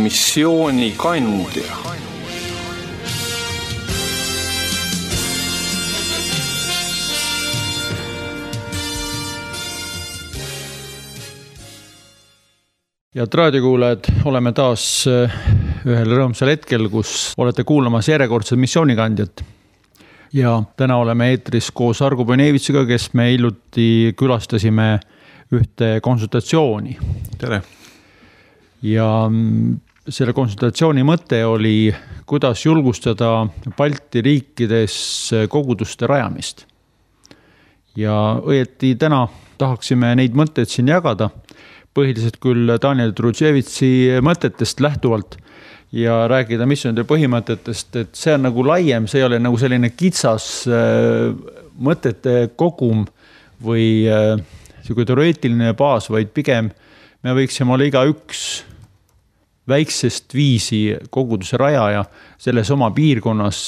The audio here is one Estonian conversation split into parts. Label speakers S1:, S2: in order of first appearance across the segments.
S1: missioonikandja.
S2: Ja raadiokuulajad, oleme taas ühel rõõmsal hetkel, kus olete kuulamas järjekordset missioonikandjat. Ja täna oleme eetris koos Argo Põnevitsiga, kes me hiljuti külastasime ühte konsultatsiooni.
S1: Tere!
S2: Ja selle konsultatsiooni mõte oli, kuidas julgustada Balti riikides koguduste rajamist. Ja õieti täna tahaksime neid mõtteid siin jagada, põhiliselt küll Daniel Trudževitsi mõtetest lähtuvalt ja rääkida missioonide põhimõtetest, et see on nagu laiem, see ei ole nagu selline kitsas mõtete kogum või teoreetiline baas, vaid pigem me võiksime olla iga üks väiksest viisi koguduse rajaja selles oma piirkonnas,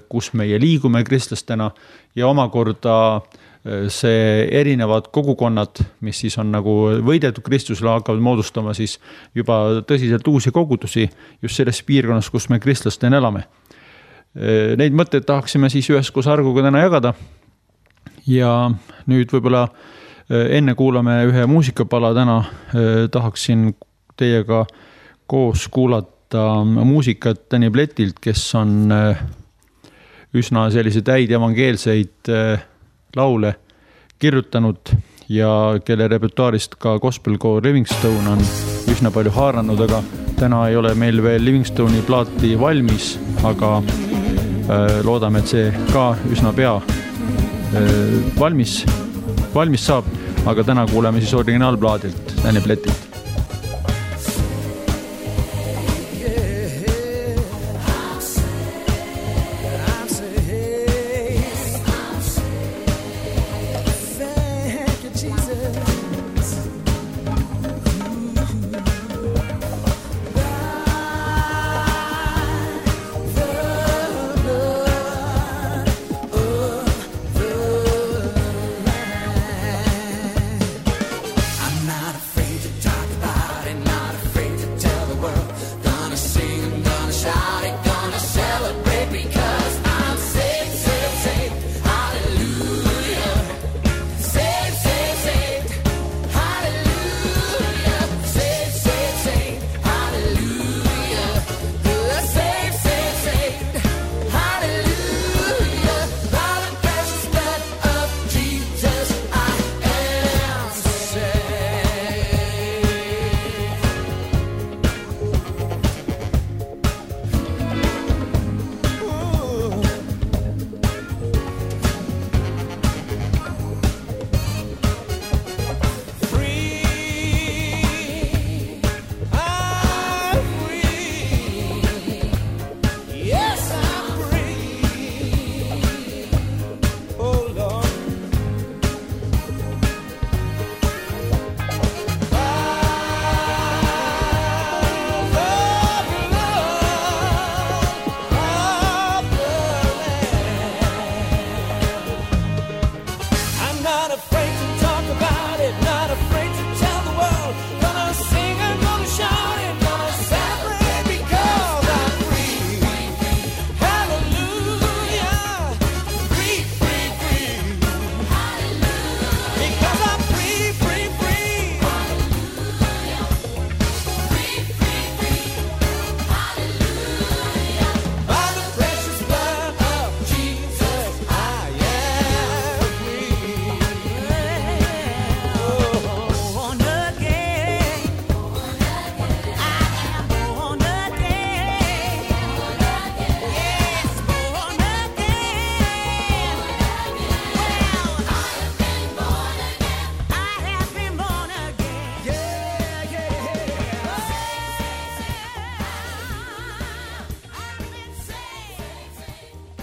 S2: kus meie liigume kristlastena ja omakorda see erinevad kogukonnad, mis siis on nagu võidetud Kristusele, hakkavad moodustama siis juba tõsiselt uusi kogudusi just selles piirkonnas, kus me kristlastena elame. Neid mõtteid tahaksime siis üheskoos Argoga täna jagada ja nüüd võib-olla enne kuulame ühe muusikapala täna, tahaksin teiega koos kuulata muusikat Tõni Pletilt, kes on üsna selliseid häid evangeelseid laule kirjutanud ja kelle repertuaarist ka gospelkoor Livingstone on üsna palju haaranud, aga täna ei ole meil veel Livingstone'i plaati valmis, aga loodame, et see ka üsna pea valmis saab, aga täna kuuleme siis originaalplaadilt Tõni Pletilt.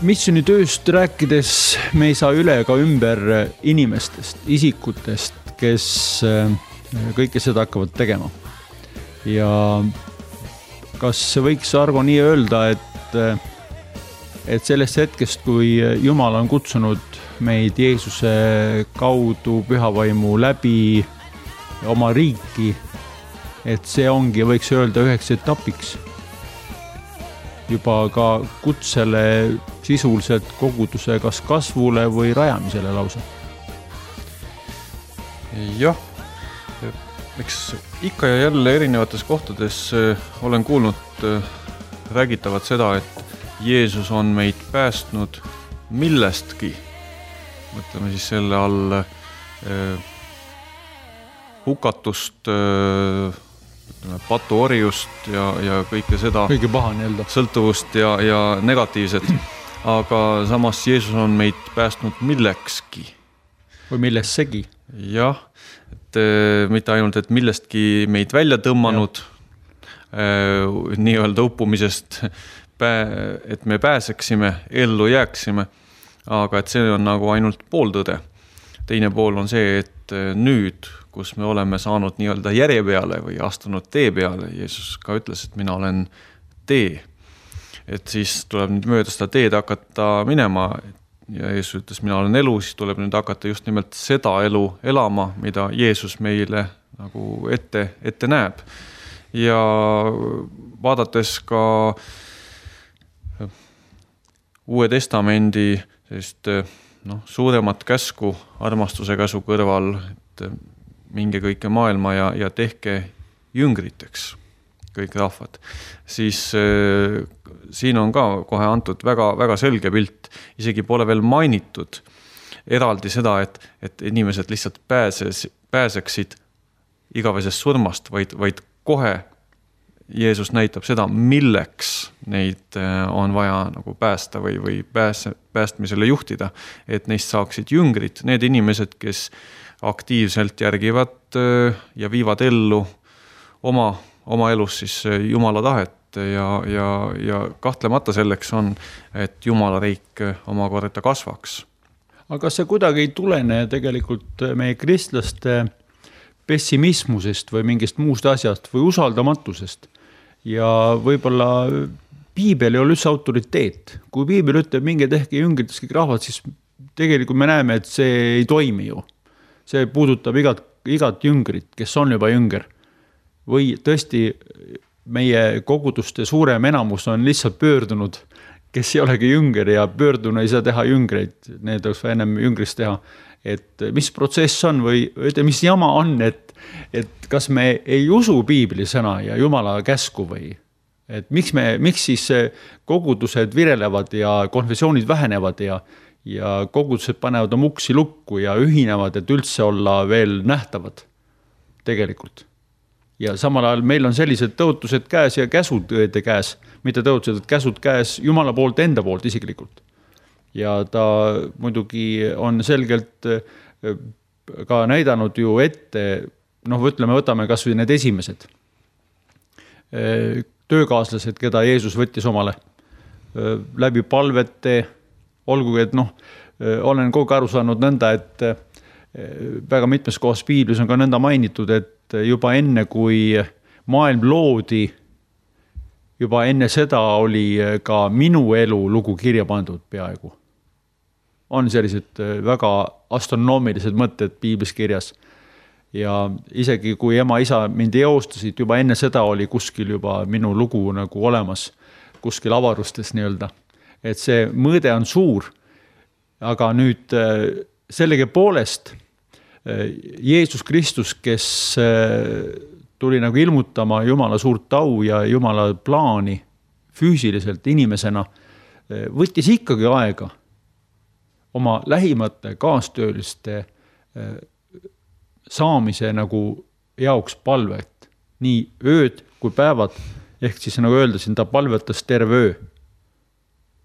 S2: Missionitööst rääkides me ei saa üle ega ümber inimestest, isikutest, kes kõike seda hakkavad tegema. Ja kas võiks Argo nii öelda, et sellest hetkest, kui Jumal on kutsunud meid Jeesuse kaudu pühavaimu läbi oma riiki, et see ongi, võiks öelda, üheks etapiks juba ka kutsele sisuliselt koguduse kas kasvule või rajamisele lausa.
S1: Jah, eks ikka ja jälle erinevates kohtades olen kuulnud räägitavat seda, et Jeesus on meid päästnud millestki. Mõtleme siis selle all hukatust, patuorjust ja kõike seda.
S2: Kõige paha nii-öelda.
S1: Sõltuvust ja negatiivset. Aga samas Jeesus on meid päästnud millekski.
S2: Või millessegi.
S1: Jah, et mitte ainult, et millestki meid välja tõmmanud nii-öelda uppumisest, et me pääseksime, ellu jääksime, aga et see on nagu ainult pooltõde. Teine pool on see, et nüüd, kus me oleme saanud nii-öelda järje peale või astunud tee peale, Jeesus ka ütles, et mina olen tee. Et siis tuleb nüüd mööda seda teed hakata minema ja Jeesus ütles, mina olen elu, siis tuleb nüüd hakata just nimelt seda elu elama, mida Jeesus meile nagu ette näeb. Ja vaadates ka Uue Testamendi sellist suuremat käsku armastuse käsu kõrval, et minge kõike maailma ja tehke jüngriteks kõik rahvad, siis siin on ka kohe antud väga, väga selge pilt, isegi pole veel mainitud eraldi seda, et inimesed lihtsalt pääseksid igavesest surmast, vaid kohe Jeesus näitab seda, milleks neid on vaja nagu päästa või päästmisele juhtida, et neist saaksid jüngrid, need inimesed, kes aktiivselt järgivad ja viivad ellu oma elus siis Jumala tahet ja kahtlemata selleks on, et Jumala riik omakorda kasvaks.
S2: Aga kas see kuidagi ei tulene tegelikult meie kristlaste pessimismusest või mingist muust asjast või usaldamatusest? Ja võib-olla piibel ei ole üldse autoriteet. Kui piibel ütleb, minge tehke jüngrites kõik rahvad, siis tegelikult me näeme, et see ei toimi ju. See puudutab igat jüngrit, kes on juba jünger. Või tõesti meie koguduste suurem enamus on lihtsalt pöördunud, kes ei olegi jünger ja pöörduna ei saa teha jüngreid, need oleks ennem jüngrist teha. Et mis protsess on või mis jama on, et kas me ei usu piibli sõna ja Jumala käsku või? Et miks siis kogudused virelevad ja konfessioonid vähenevad ja kogudused panevad oma uksi lukku ja ühinevad, et üldse olla veel nähtavad tegelikult. Ja samal ajal meil on sellised tõotused käes ja käsud õede käes, mitte tõotused, et käsud käes Jumala poolt enda poolt isiklikult. Ja ta muidugi on selgelt ka näidanud ju ette, võtame kas või need esimesed töökaaslased, keda Jeesus võttis omale läbi palvete, olgugi, et olen kogu aru saanud nõnda, et väga mitmes kohas piiblis on ka nõnda mainitud, et juba enne, kui maailm loodi, juba enne seda oli ka minu elu lugu kirja pandud peaaegu. On sellised väga astronoomilised mõtted piiblis kirjas. Ja isegi kui ema-isa mind eostasid, juba enne seda oli kuskil juba minu lugu nagu olemas, kuskil avarustes nii-öelda. Et see mõõde on suur, aga nüüd sellegi poolest Jeesus Kristus, kes tuli nagu ilmutama Jumala suurt au ja Jumala plaani füüsiliselt inimesena, võttis ikkagi aega oma lähimate kaastööliste saamise nagu jaoks palvet. Nii ööd kui päevad, ehk siis nagu öeldasin, ta palvetas terve öö.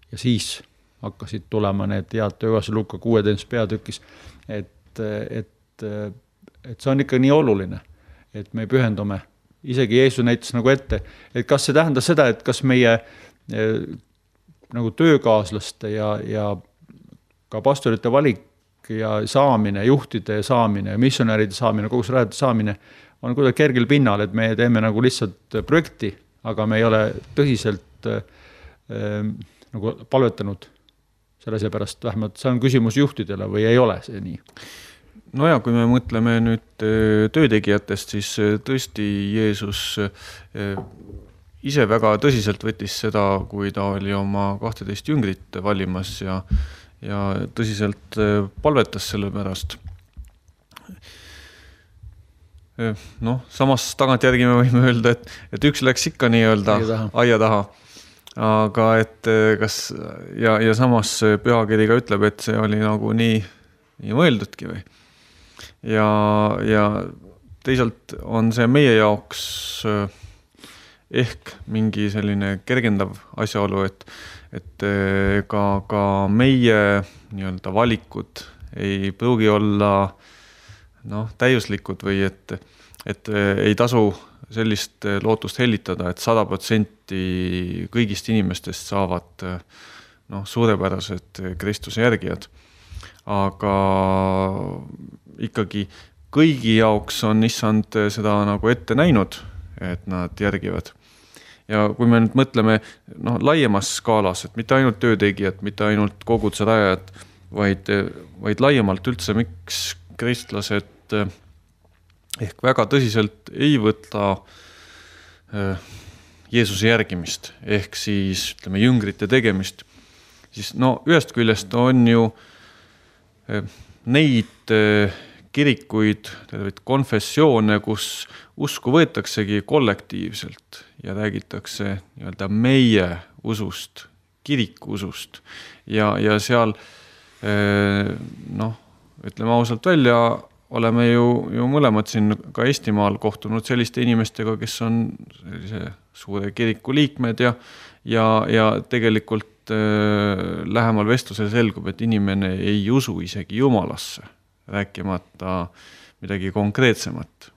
S2: Ja siis hakkasid tulema need head töökassi Luka 16 peatükis, et see on ikka nii oluline, et me pühendume. Isegi Jeesus näitas nagu ette, et kas see tähendab seda, et kas meie nagu töökaaslaste ja ka pastorite valik ja saamine, juhtide saamine, missionäride saamine, kogus rajade saamine on kuidagi kergel pinnal, et me teeme nagu lihtsalt projekti, aga me ei ole tõsiselt nagu palvetanud selle seepärast, vähemalt see on küsimus juhtidele või ei ole see nii?
S1: no ja kui me mõtleme nüüd töötegijatest, siis tõesti Jeesus ise väga tõsiselt võttis seda, kui ta oli oma 12 jüngrit valimas ja tõsiselt palvetas selle pärast. Noh, samas tagantjärgi me võime öelda, et üks läks ikka nii-öelda aia taha. Aga et kas, ja samas pühakiri ka ütleb, et see oli nagu nii mõeldudki või. Ja teisalt on see meie jaoks ehk mingi selline kergendav asjaolu, et ka meie nii-öelda valikud ei pruugi olla täiuslikud või et ei tasu sellist lootust hellitada, et 100% kõigist inimestest saavad suurepärased Kristuse järgijad. Aga ikkagi kõigi jaoks on issand seda nagu ette näinud, et nad järgivad. Ja kui me nüüd mõtleme laiemas skaalas, et mitte ainult töötegijad, mitte ainult koguduse rajajad, vaid laiemalt üldse, miks kristlased ehk väga tõsiselt ei võta Jeesuse järgimist, ehk siis ütleme jüngrite tegemist, siis ühest küljest on ju neid kirikuid, konfessioone, kus usku võetaksegi kollektiivselt ja räägitakse nii-öelda meie usust, kiriku usust ja seal ütleme ausalt välja, oleme ju mõlemad siin ka Eestimaal kohtunud selliste inimestega, kes on sellise suure kiriku liikmed ja tegelikult lähemal vestlusel selgub, et inimene ei usu isegi Jumalasse, rääkimata midagi konkreetsemat.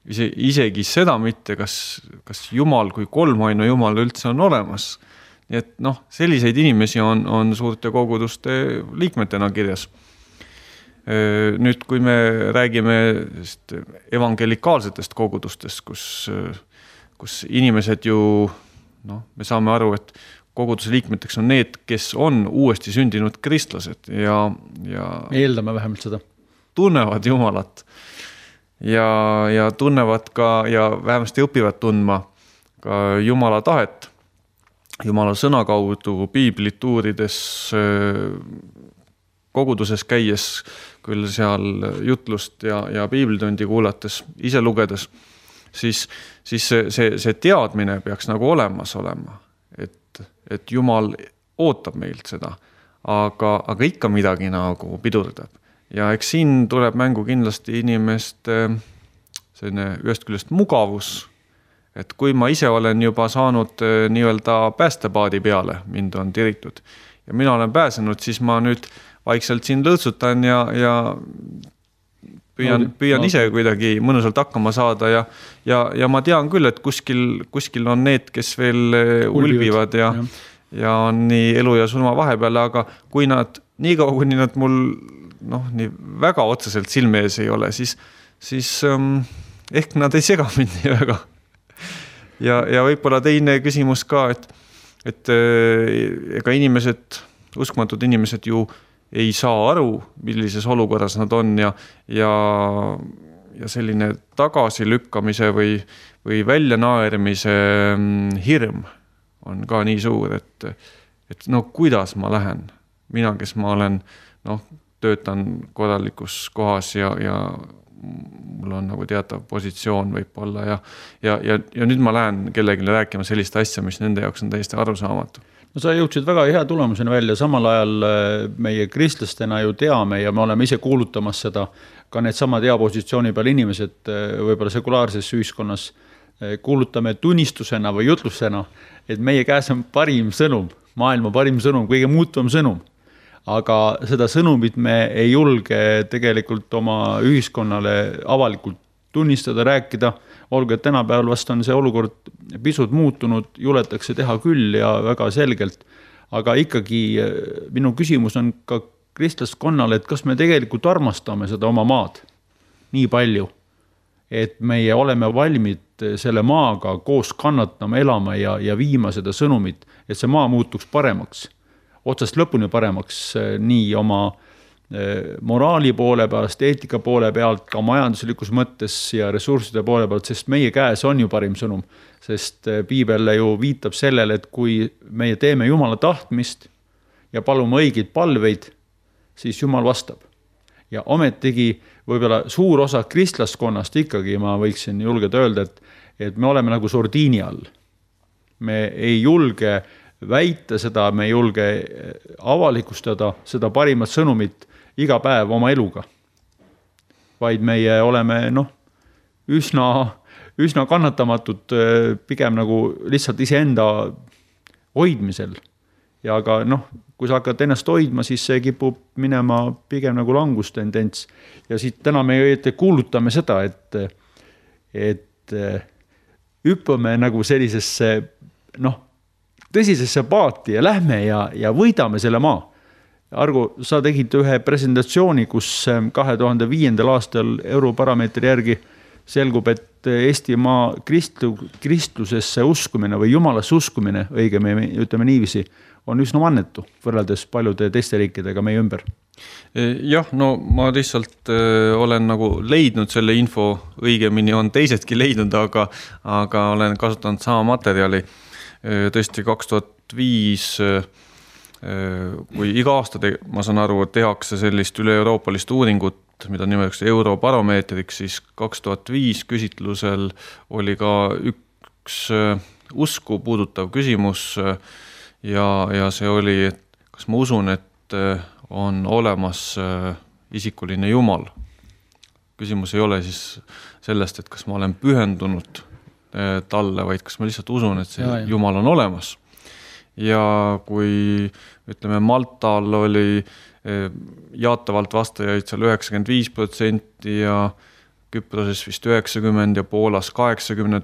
S1: Isegi seda mitte, kas Jumal kui kolmainu Jumal üldse on olemas. Nii et selliseid inimesi on suurte koguduste liikmetena kirjas. Nüüd, kui me räägime evangelikaalsetest kogudustest, kus inimesed ju, me saame aru, et koguduse liikmeteks on need, kes on uuesti sündinud kristlased ja
S2: eeldame vähemalt seda.
S1: Tunnevad Jumalat ja tunnevad ka ja vähemasti õpivad tundma ka Jumala tahet, Jumala sõna kaudu, piiblit uurides, koguduses käies, küll seal jutlust ja piiblitundi kuulates, ise lugedes, siis see teadmine peaks nagu olemas olema, et Jumal ootab meilt seda, aga ikka midagi nagu pidurdab. Ja eks siin tuleb mängu kindlasti inimeste selline ühest küljest mugavus, et kui ma ise olen juba saanud nii-öelda päästepaadi peale, mind on tiritud ja mina olen pääsenud, siis ma nüüd vaikselt siin lõõtsutan ja püüan ise kuidagi mõnusalt hakkama saada ja ma tean küll, et kuskil on need, kes veel ulbivad ja on nii elu ja surma vahepeal, aga kui nad nii kaua, kuni nad mul nii väga otseselt silme ees ei ole, siis ehk nad ei sega mind nii väga. Ja võib-olla teine küsimus ka, et ega inimesed, uskmatud inimesed ju ei saa aru, millises olukorras nad on ja selline tagasilükkamise või väljanaermise hirm on ka nii suur, et kuidas ma lähen. Mina, kes ma olen, töötan korralikus kohas ja mul on nagu teatav positsioon võib-olla ja nüüd ma lähen kellelegi rääkima sellist asja, mis nende jaoks on täiesti arusaamatu.
S2: No sa jõudsid väga hea tulemusena välja, samal ajal meie kristlastena ju teame ja me oleme ise kuulutamas seda, ka need samad hea positsiooni peal inimesed võib-olla sekulaarses ühiskonnas kuulutame tunnistusena või jutlusena, et meie käes on parim sõnum, maailma parim sõnum, kõige muutuvam sõnum. Aga seda sõnumit me ei julge tegelikult oma ühiskonnale avalikult tunnistada, rääkida, olgu, et tänapäeval vast on see olukord pisut muutunud, juletakse teha küll ja väga selgelt, aga ikkagi minu küsimus on ka kristlaskonnale, et kas me tegelikult armastame seda oma maad nii palju, et meie oleme valmid selle maaga koos kannatama, elama ja viima seda sõnumit, et see maa muutuks paremaks, otsast lõpuni paremaks nii oma moraali poole pealt, eetika poole pealt, ka majanduslikus mõttes ja ressursside poole pealt, sest meie käes on ju parim sõnum. Sest piibel ju viitab sellele, et kui meie teeme Jumala tahtmist ja palume õigeid palveid, siis Jumal vastab. Ja ometigi võib-olla suur osa kristlaskonnast ikkagi, ma võiksin julgeda öelda, et me oleme nagu sordiini all. Me ei julge väita seda, me ei julge avalikustada seda parimat sõnumit iga päev oma eluga. Vaid meie oleme üsna kannatamatud pigem nagu lihtsalt iseenda hoidmisel. Ja aga kui sa hakkad ennast hoidma, siis see kipub minema pigem nagu langustendents. Ja siit täna me kuulutame seda, et hüppame nagu sellisesse tõsisesse paati ja lähme ja võidame selle maa. Argo, sa tegid ühe presentatsiooni, kus 2005. aastal Europarameetri järgi selgub, et Eestimaa kristlusesse uskumine või Jumalasse uskumine, õigem ütleme niiviisi, on üsna mannetu võrreldes paljude teiste riikidega meie ümber.
S1: Jah, ma lihtsalt olen nagu leidnud selle info, õigemini on teisedki leidnud, aga olen kasutanud sama materjali. Tõesti 2005, kui iga aasta ma saan aru, et tehakse sellist üle-euroopalist uuringut, mida nimeks Eurobaromeetriks, siis 2005 küsitlusel oli ka üks usku puudutav küsimus ja see oli, et kas ma usun, et on olemas isikuline Jumal. Küsimus ei ole siis sellest, et kas ma olen pühendunud talle, vaid kas ma lihtsalt usun, et see Jumal on olemas. Ja kui ütleme Maltal oli jaatavalt vastajaid seal 95% ja Küproses vist 90% ja Poolas 80%,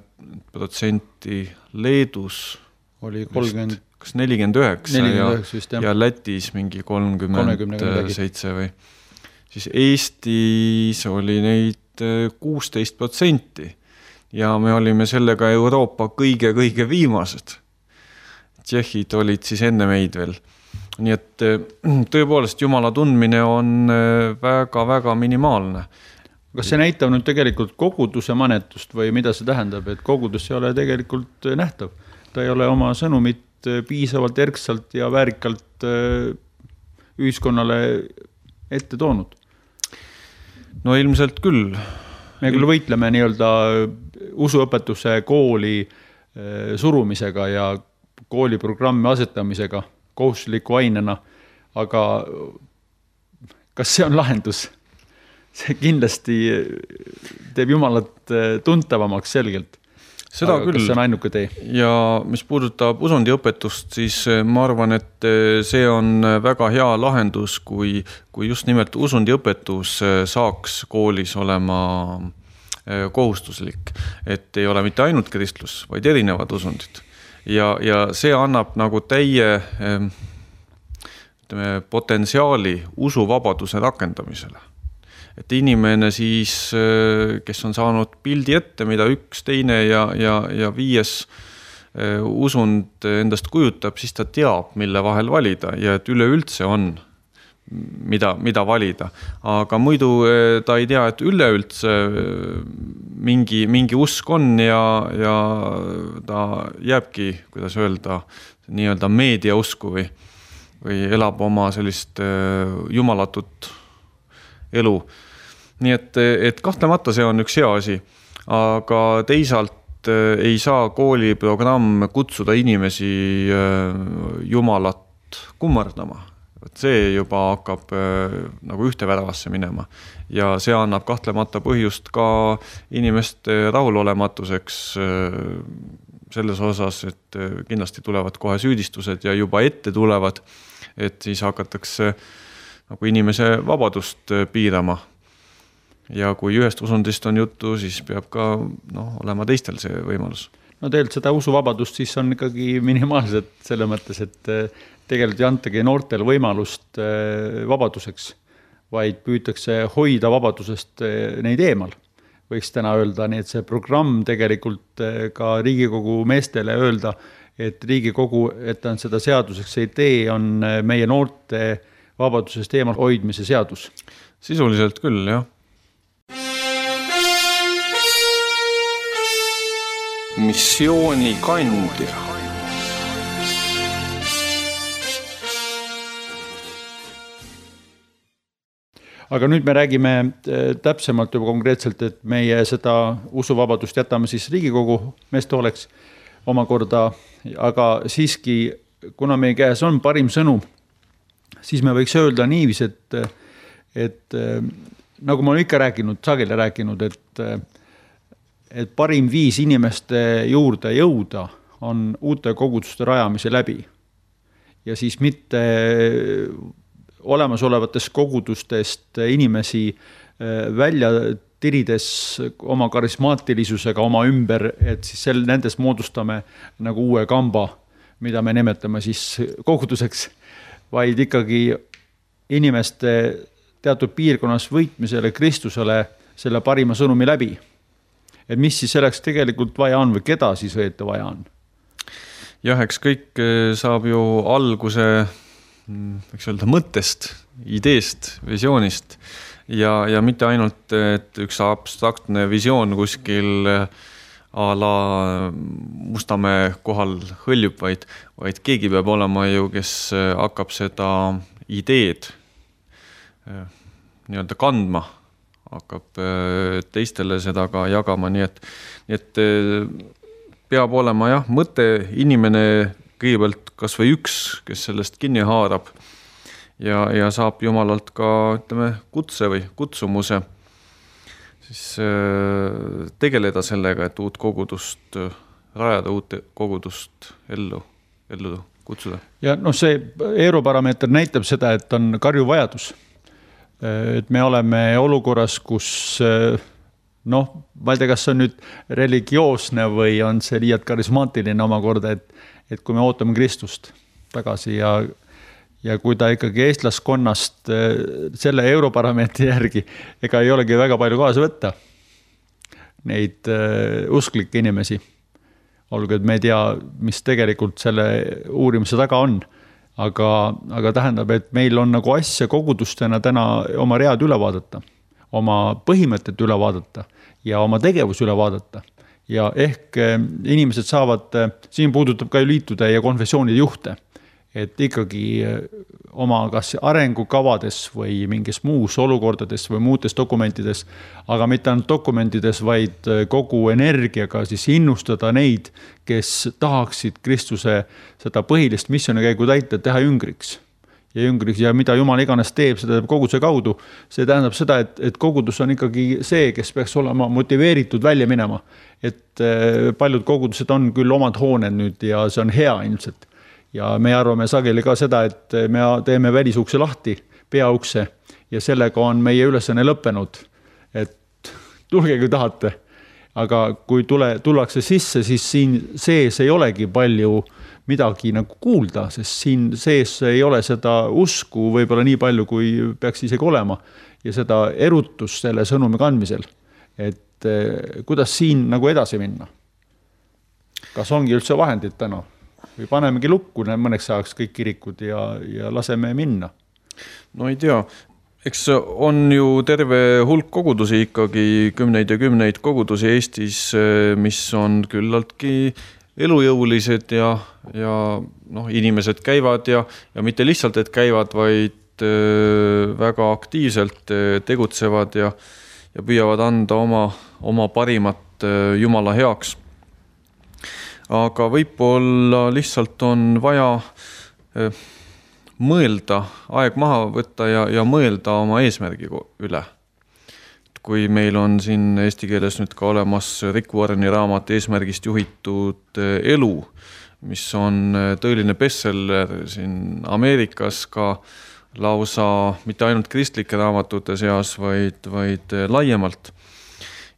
S1: Leedus
S2: oli 30,
S1: kas 49
S2: vist,
S1: ja Lätis mingi 37 või. Siis Eestis oli neid 16% ja me olime sellega Euroopa kõige viimased. Tšehhid olid siis enne meid veel. Nii et tõepoolest Jumala tundmine on väga minimaalne.
S2: Kas see näitab nüüd tegelikult koguduse manetust või mida see tähendab, et kogudus ei ole tegelikult nähtav? Ta ei ole oma sõnumit piisavalt erksalt ja väärikalt ühiskonnale ette toonud?
S1: No ilmselt küll.
S2: Me küll võitleme nii-öelda usuõpetuse kooli surumisega ja kooliprogrammi asetamisega kohustusliku ainena, aga kas see on lahendus? See kindlasti teeb Jumalat tuntavamaks selgelt.
S1: Seda
S2: aga
S1: küll.
S2: Kas see on ainuke tee?
S1: Ja mis puudutab usundiõpetust, siis ma arvan, et see on väga hea lahendus, kui just nimelt usundiõpetus saaks koolis olema kohustuslik. Et ei ole mitte ainult kristlus, vaid erinevad usundid. Ja see annab nagu täie potentsiaali usuvabaduse rakendamisele. Et inimene siis, kes on saanud pildi ette, mida üks, teine ja viies usund endast kujutab, siis ta teab, mille vahel valida ja et üleüldse on, mida valida. Aga muidu ta ei tea, et üleüldse mingi usk on ja ta jääbki, kuidas öelda, nii-öelda meediausku või elab oma sellist jumalatut elu. Nii et kahtlemata see on üks hea asi, aga teisalt ei saa kooliprogramm kutsuda inimesi Jumalat kummardama. See juba hakkab nagu ühte väravasse minema ja see annab kahtlemata põhjust ka inimeste rahulolematuseks selles osas, et kindlasti tulevad kohe süüdistused ja juba ette tulevad, et siis hakatakse nagu inimese vabadust piirama. Ja kui ühest usundist on juttu, siis peab ka olema teistel see võimalus.
S2: No tegelikult seda usuvabadust siis on ikkagi minimaalselt selle mõttes, et tegelikult ei antagi noortel võimalust vabaduseks, vaid püütakse hoida vabadusest neid eemal. Võiks täna öelda, nii et see programm tegelikult ka Riigikogu meestele öelda, et Riigikogu, et on seda seaduseks ei tee, on meie noorte vabadusest eemal hoidmise seadus.
S1: Sisuliselt küll, jah. Missiooni kandja.
S2: Aga nüüd me räägime täpsemalt juba konkreetselt, et meie seda usuvabadust jätame siis Riigikogu meeste oleks omakorda, aga siiski, kuna meie käes on parim sõnum, siis me võiks öelda niivis, et nagu ma olen ikka rääkinud, sageli rääkinud, et parim viis inimeste juurde jõuda on uute koguduste rajamise läbi. Ja siis mitte olemasolevatest kogudustest inimesi välja tirides oma karismaatilisusega oma ümber, et siis nendes moodustame nagu uue kamba, mida me nimetame siis koguduseks, vaid ikkagi inimeste teatud piirkonnas võitmisele Kristusele selle parima sõnumi läbi. Et mis siis selleks tegelikult vaja on või keda siis õieti vaja on?
S1: Jah, eks kõik saab ju alguse võiks öelda mõttest, ideest, visioonist ja mitte ainult, et üks abstraktne visioon kuskil a la Mustamäe kohal hõljub, vaid keegi peab olema ju, kes hakkab seda ideed nii-öelda kandma, hakkab teistele seda ka jagama, nii et peab olema jah, mõte inimene kõigepealt kas või üks, kes sellest kinni haarab ja saab Jumalalt ka, ütleme, kutse või kutsumuse siis tegeleda sellega, et uut kogudust rajada, uut kogudust ellu kutsuda. Ja
S2: see Eurobaromeeter näitab seda, et on karju vajadus. Et me oleme olukorras, kus ma ei tea, kas see on nüüd religioosne või on see liialt karismaatiline omakorda, et kui me ootame Kristust tagasi ja kui ta ikkagi eestlaskonnast selle Eurobaromeetri järgi, ega ei olegi väga palju kaasa võtta neid usklikke inimesi. Olgu, et me ei tea, mis tegelikult selle uurimise taga on, aga tähendab, et meil on nagu asja kogudustena täna oma read üle vaadata, oma põhimõtted üle vaadata ja oma tegevus üle vaadata. Ja ehk inimesed saavad, siin puudutab ka liitude ja konfessioonide juhte, et ikkagi oma kas arengukavades või mingis muus olukordades või muudes dokumentides, aga mitte ainult dokumentides, vaid kogu energiaga siis innustada neid, kes tahaksid Kristuse seda põhilist missioonikäigu täita, teha jüngriks. Ja mida Jumal iganes teeb, seda teeb koguduse kaudu. See tähendab seda, et kogudus on ikkagi see, kes peaks olema motiveeritud välja minema. Et paljud kogudused on küll omad hooned nüüd ja see on hea ilmselt. Ja me arvame sageli ka seda, et me teeme välisukse lahti, peaukse ja sellega on meie ülesanne lõppenud. Et tulge kui tahate. Aga kui tullakse sisse, siis siin sees ei olegi palju midagi nagu kuulda, sest siin sees ei ole seda usku võib-olla nii palju, kui peaks isegi olema ja seda erutust selle sõnumi kandmisel. Et kuidas siin nagu edasi minna? Kas ongi üldse vahendid täna? Või panemegi lukku mõneks ajaks kõik kirikud ja laseme minna?
S1: No ei tea. Eks on ju terve hulk kogudusi ikkagi, kümneid ja kümneid kogudusi Eestis, mis on küllaltki elujõulised ja inimesed käivad ja mitte lihtsalt, et käivad, vaid väga aktiivselt tegutsevad ja püüavad anda oma parimat Jumala heaks. Aga võib-olla lihtsalt on vaja mõelda, aeg maha võtta ja mõelda oma eesmärgi üle. Kui meil on siin eesti keeles nüüd ka olemas Rick Warreni raamat Eesmärgist juhitud elu, mis on tõeline bestseller siin Ameerikas ka lausa mitte ainult kristlike raamatute seas, vaid laiemalt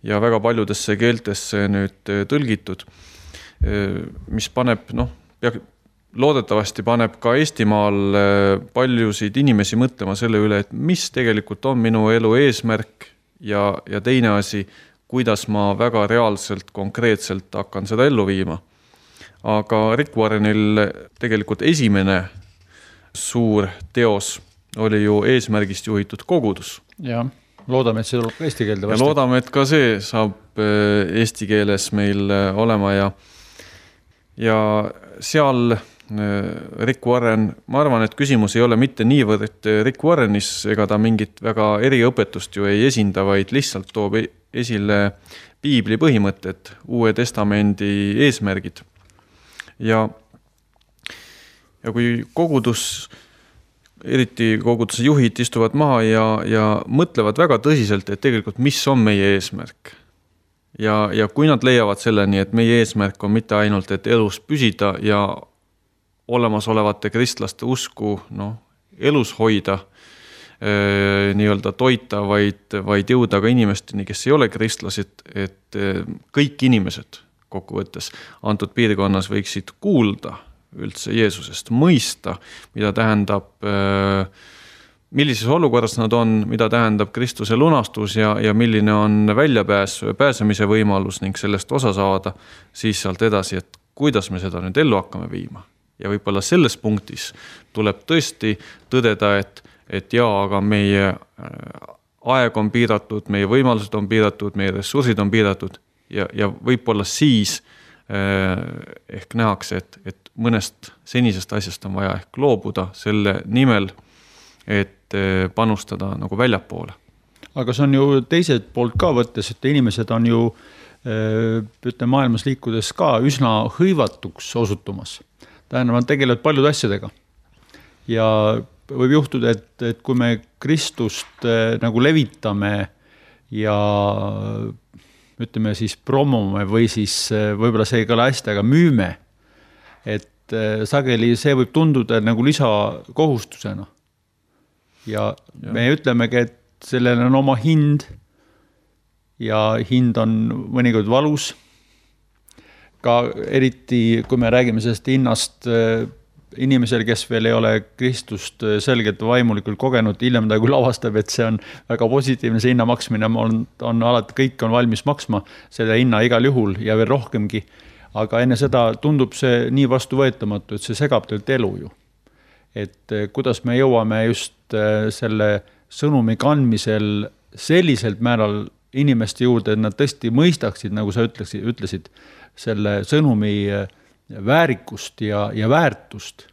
S1: ja väga paljudesse keeltesse nüüd tõlgitud, mis paneb, loodetavasti paneb ka Eestimaal paljusid inimesi mõtlema selle üle, et mis tegelikult on minu elu eesmärk ja teine asi, kuidas ma väga reaalselt, konkreetselt hakkan seda ellu viima. Aga Rick Warrenil tegelikult esimene suur teos oli ju eesmärgist juhitud kogudus.
S2: Ja loodame, et see tuleb ka eesti keelde
S1: vastati. Ja loodame, et ka see saab eesti keeles meil olema ja seal Rick Warren, ma arvan, et küsimus ei ole mitte niivõrd Rick Warrenis, ega ta mingit väga eriõpetust ju ei esinda, vaid lihtsalt toob esile piibli põhimõtted, Uue Testamendi eesmärgid. Ja kui kogudus, eriti koguduse juhid istuvad maha ja mõtlevad väga tõsiselt, et tegelikult mis on meie eesmärk. Ja kui nad leiavad selleni, et meie eesmärk on mitte ainult, et elus püsida ja olemasolevate kristlaste usku elus hoida, nii-öelda toita, vaid jõuda ka inimesteni, kes ei ole kristlased, et kõik inimesed kokkuvõttes antud piirkonnas võiksid kuulda üldse Jeesusest, mõista, mida tähendab, millises olukorras nad on, mida tähendab Kristuse lunastus ja milline on pääsemise võimalus ning sellest osa saada, siis sealt edasi, et kuidas me seda nüüd ellu hakkame viima. Ja võib-olla selles punktis tuleb tõesti tõdeda, et aga meie aeg on piiratud, meie võimalused on piiratud, meie ressursid on piiratud ja võib-olla siis ehk nähakse, et mõnest senisest asjast on vaja ehk loobuda selle nimel, et panustada nagu väljapoole.
S2: Aga see on ju teiselt poolt ka võttes, et inimesed on ju maailmas liikudes ka üsna hõivatuks osutumas. Tähendab, tegelevad paljude asjadega. Ja võib juhtuda, et kui me Kristust nagu levitame ja ütleme siis promome või siis võib-olla see ei ole hästi, aga müüme, et sageli see võib tunduda nagu lisakohustusena. Ja me ütlemegi, et sellel on oma hind ja hind on mõnikord valus. Ka eriti, kui me räägime sellest hinnast inimesel, kes veel ei ole Kristust selgelt vaimulikult kogenud, hiljem ta kui lavastab, et see on väga positiivne, see hinna maksmine on alati, kõik on valmis maksma selle hinna igal juhul ja veel rohkemgi. Aga enne seda tundub see nii vastuvõetamatu, et see segab teilt elu ju. Et kuidas me jõuame just selle sõnumi kandmisel selliselt määral inimeste juurde, et nad tõesti mõistaksid, nagu sa ütlesid, selle sõnumi väärikust ja väärtust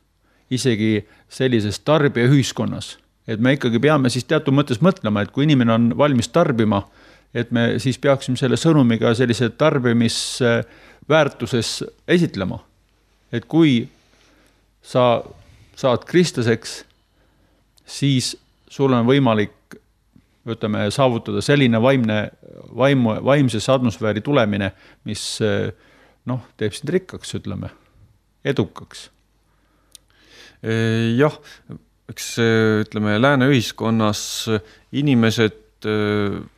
S2: isegi sellises tarbijaühiskonnas. Et me ikkagi peame siis teatud mõttes mõtlema, et kui inimene on valmis tarbima, et me siis peaksime selle sõnumiga sellise tarbimisväärtuses esitlema. Et kui sa saad kristlaseks, siis sul on võimalik saavutada selline vaimses atmosfääri tulemine, mis teeb sind rikkaks, edukaks.
S1: Jah, eks lääne ühiskonnas inimesed,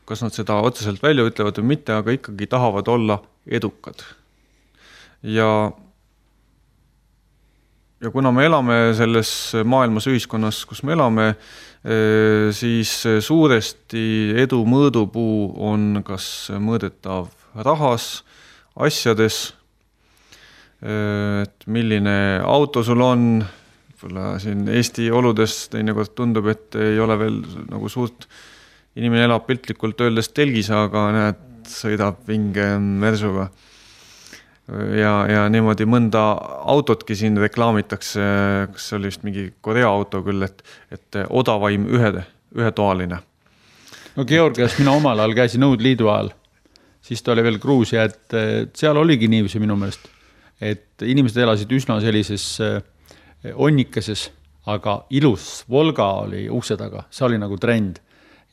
S1: kas nad seda otseselt välja ütlevad või mitte, aga ikkagi tahavad olla edukad. Ja kuna me elame selles maailmas ühiskonnas, kus me elame, siis suuresti edu mõõdupuu on kas mõõdetav rahas, asjades, et milline auto sul on, siin Eesti oludes teinekord tundub, et ei ole veel nagu suurt, inimene elab piltlikult öeldes telgis, aga näed, sõidab vinge mersuga. Ja niimoodi mõnda autotki siin reklaamitakse, kas see oli vist mingi Korea auto küll, et odavaim ühetoaline.
S2: No Georgias mina omal ajal käisin Nõudliidu ajal, siis ta oli veel Gruusia, et seal oligi niiviisi minu meelest, et inimesed elasid üsna sellises onnikeses, aga ilus Volga oli ukse taga, see oli nagu trend.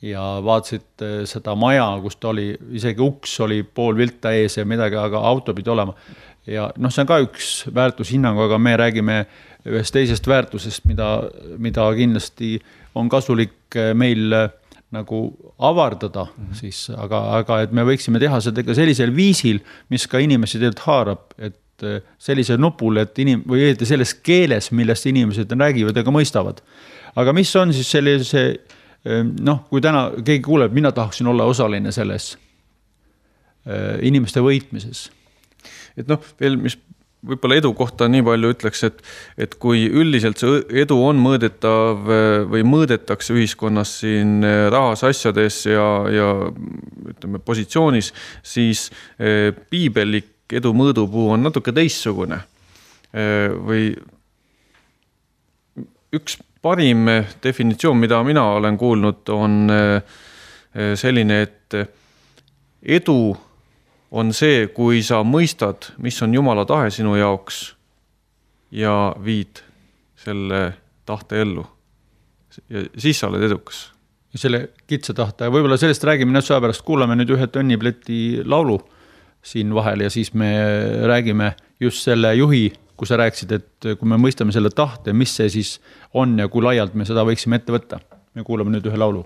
S2: Ja vaatasid seda maja, kus ta oli, isegi uks oli pool vilta ees ja midagi, aga auto pidi olema. Ja see on ka üks väärtushinnang, aga me räägime ühest teisest väärtusest, mida kindlasti on kasulik meil nagu avardada, siis, aga et me võiksime teha seda sellisel viisil, mis ka inimesi tegelikult haarab, et sellisel nupul, et või selles keeles, millest inimesed räägivad ja ka mõistavad. Aga mis on siis sellise kui täna keegi kuuleb, mina tahaksin olla osaline selles inimeste võitmises.
S1: Et veel, mis võib-olla edu kohta nii palju ütleks, et kui üldiselt see edu on mõõdetav või mõõdetakse ühiskonnas siin rahas, asjades ja ütleme positsioonis, siis piibellik edu mõõdupuu on natuke teistsugune. Või üks parim definitsioon, mida mina olen kuulnud, on selline, et edu on see, kui sa mõistad, mis on Jumala tahe sinu jaoks ja viid selle tahte ellu. Ja siis sa oled edukas.
S2: Ja selle kitsa tahte. Võib-olla sellest räägime näiteks pärast. Kuulame nüüd ühe Tõnnipleti laulu siin vahel ja siis me räägime just selle juhi, kui sa rääksid, et kui me mõistame selle tahte, mis see siis on ja kui laialt me seda võiksime ette võtta. Me kuulame nüüd ühe laulu.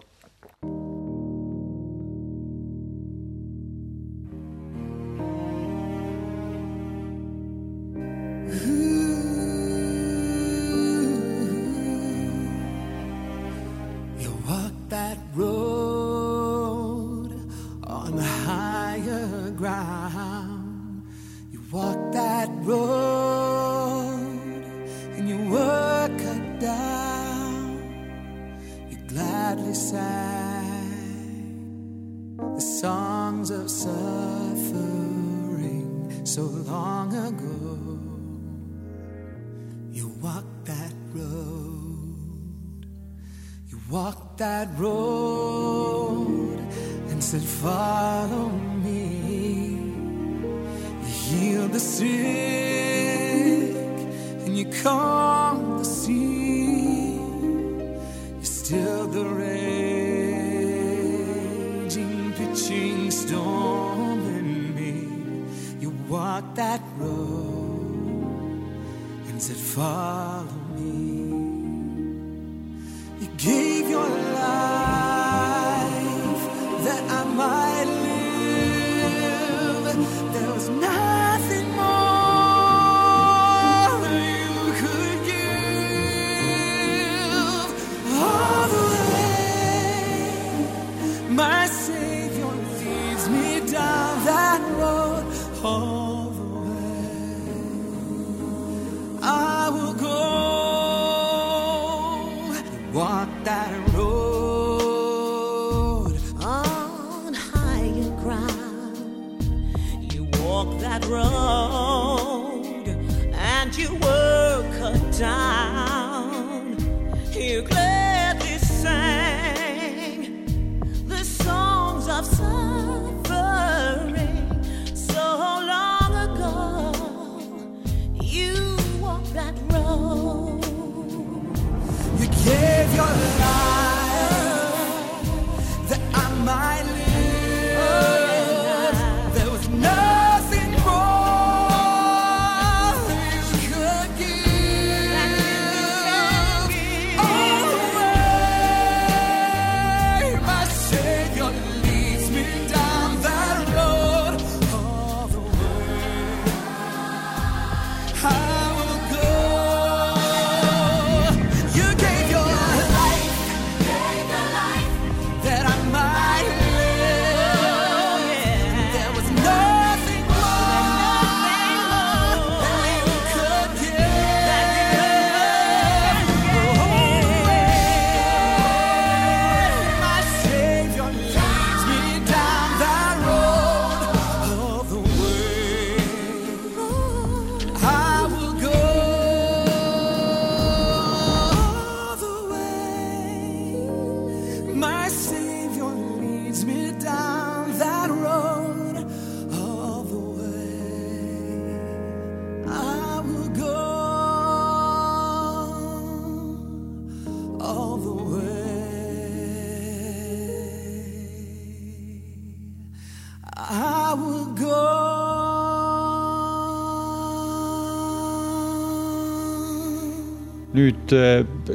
S2: Nüüd